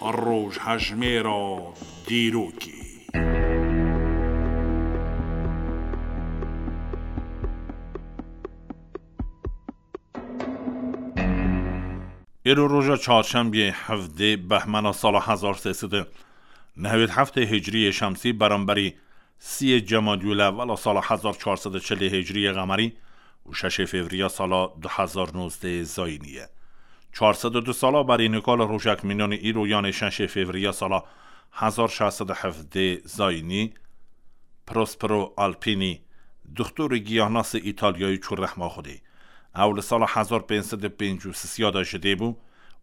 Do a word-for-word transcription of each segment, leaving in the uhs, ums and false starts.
Rojhejmêra dîrokê. Îro roja çarşembiyê hevdê behmena sala hezar sê sed û nehwêd heftê hicriyê şemsî beramberî siyê Cemadiyûl Ewwela sala hezar çar sed û çilê hicriyê qemerî û şeşê fevriya sala du hezar nozdehê zayînî ye. Çar sed û du sala berî nika li rojek mînanî îro, yanê şeşê fevriya sala hezar şeş sed û hevdê zayînî, Prospero Alpini, doktorê giyahnasê Îtalyayî çû rehma Xwedê. Ew li sala hezar pênc sed û pêncî û sisiya de ji dê bû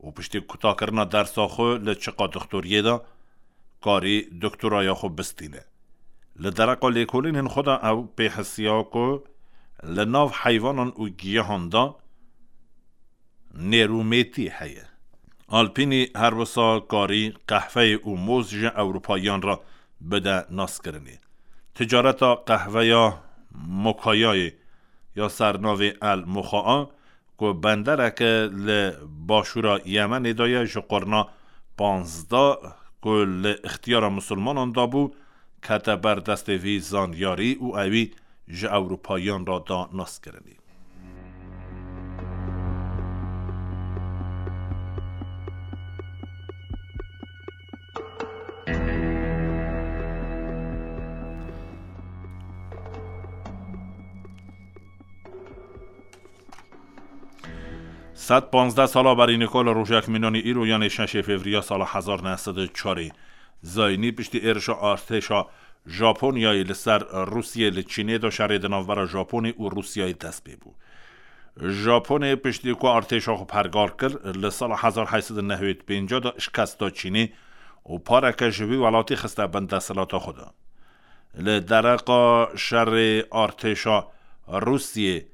û piştî kutakirina dersa xwe li çiqa doktoriyê de, karî doktoraya xwe bistîne. Li dereqa lêkolînên xwe de ew pê hisiya ku li nav heyvanan û giyahan de nêrûmêtî heye. Alpînî her wisa karî qehveyê û moz ji Ewropayiyan re bide naskirinê. Ticareta qehveya Mokayayê ya ser navê El Mokaa ku bendereke li başûra Yemenê de ye, ji qurna panzdeh ku li ixtiyara misilmanan de bû, kete ber destê vî zanyarî û ewî ji Ewropayiyan re da naskirinê. Sed panzdeh sala berî nika li rojek mînanî îro, yanê şeşê fevriya sala hezar neh sed û çarê zayînî, piştî êrişa artêşa Japonyayê li ser Rûsiyê li Çînê de, şerê di navbera Japonê û Rûsiyayê dest pê bû. Japonê piştî ku artêşa xwe pergal kir, li sala hezar heyt sed û nehwêd pênc de şikest da Çînê û pareke ji wî welatî xiste bin desthilata xwe de. Li dereqa şerê artêşa Rûsiyê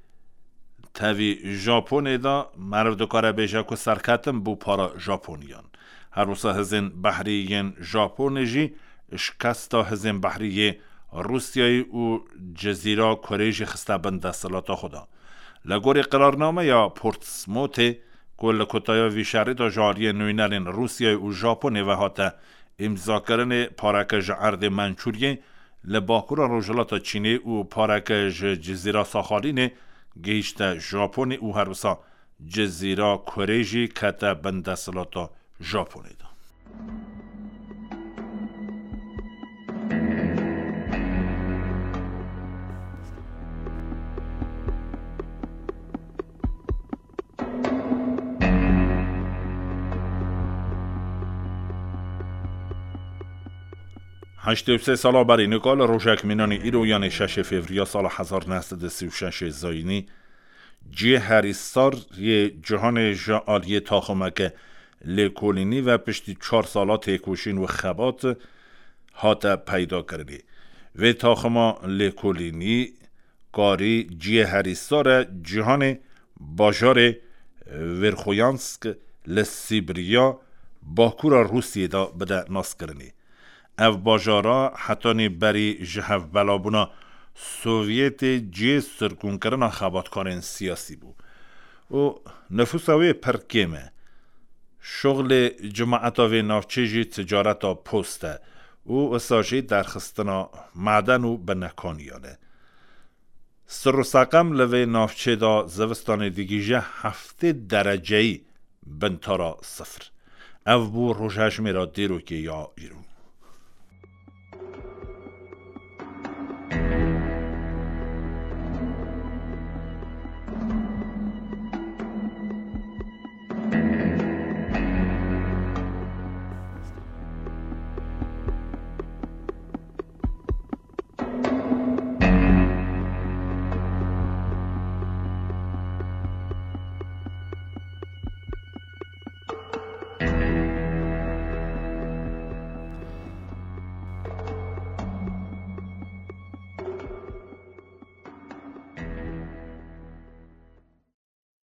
tevî Japonê de, meriv dikare bêje ku serketin bû para Japoniyan. Her wisa hizên behrî yên Japonê jî şikesta hizên behrî yê Rûsyayê û Cizîra Kurê jî xiste bin desthilata xwe de. Li gorî qirarnameya Portsmouthê ku li kutaya vî şerî de ji aliyê nûnerên Rûsyayê û Japonê ve hate îmzakirinê, pareke ji erdê Mençûriyê li bakura rojhilata Çînê û pareke ji Cizîra Saxalînê gihîşte Japonê û her wisa Cizîra Kurê jî kete bin desthilata Japonê de. Heştê û sê sala berî nika li rojek mînanî îro, yanê şeşê fevriya sala hezar neh sed û sî û şeşê zayînî, cihêherîsar yê cîhanê ji aliyê taximeke lêkolînî ve piştî çar sala têkoşîn û xebat hate peydakirinê. Vê taxima lêkolînî karî cihêherîsara cîhanê bajarê Verxoyansk li Sîbiriya bakura Rûsiyê de bide naskirinê. Ev bajara hetanî berî ji hevbelabûna Sovyetê cihê sirgûnkirina xebatkarên siyasî bû û nifûsa wê pir kêm e. Şuxlê cimaeta vê navçê jî ticareta post e û wisa jî derxistina maden û binekaniyan e. Sir û seqem li vê navçê de zivistanê digihîje heftê dereceyî bintara sifir. Ev bû rojhejmêra dîrokê ya îro.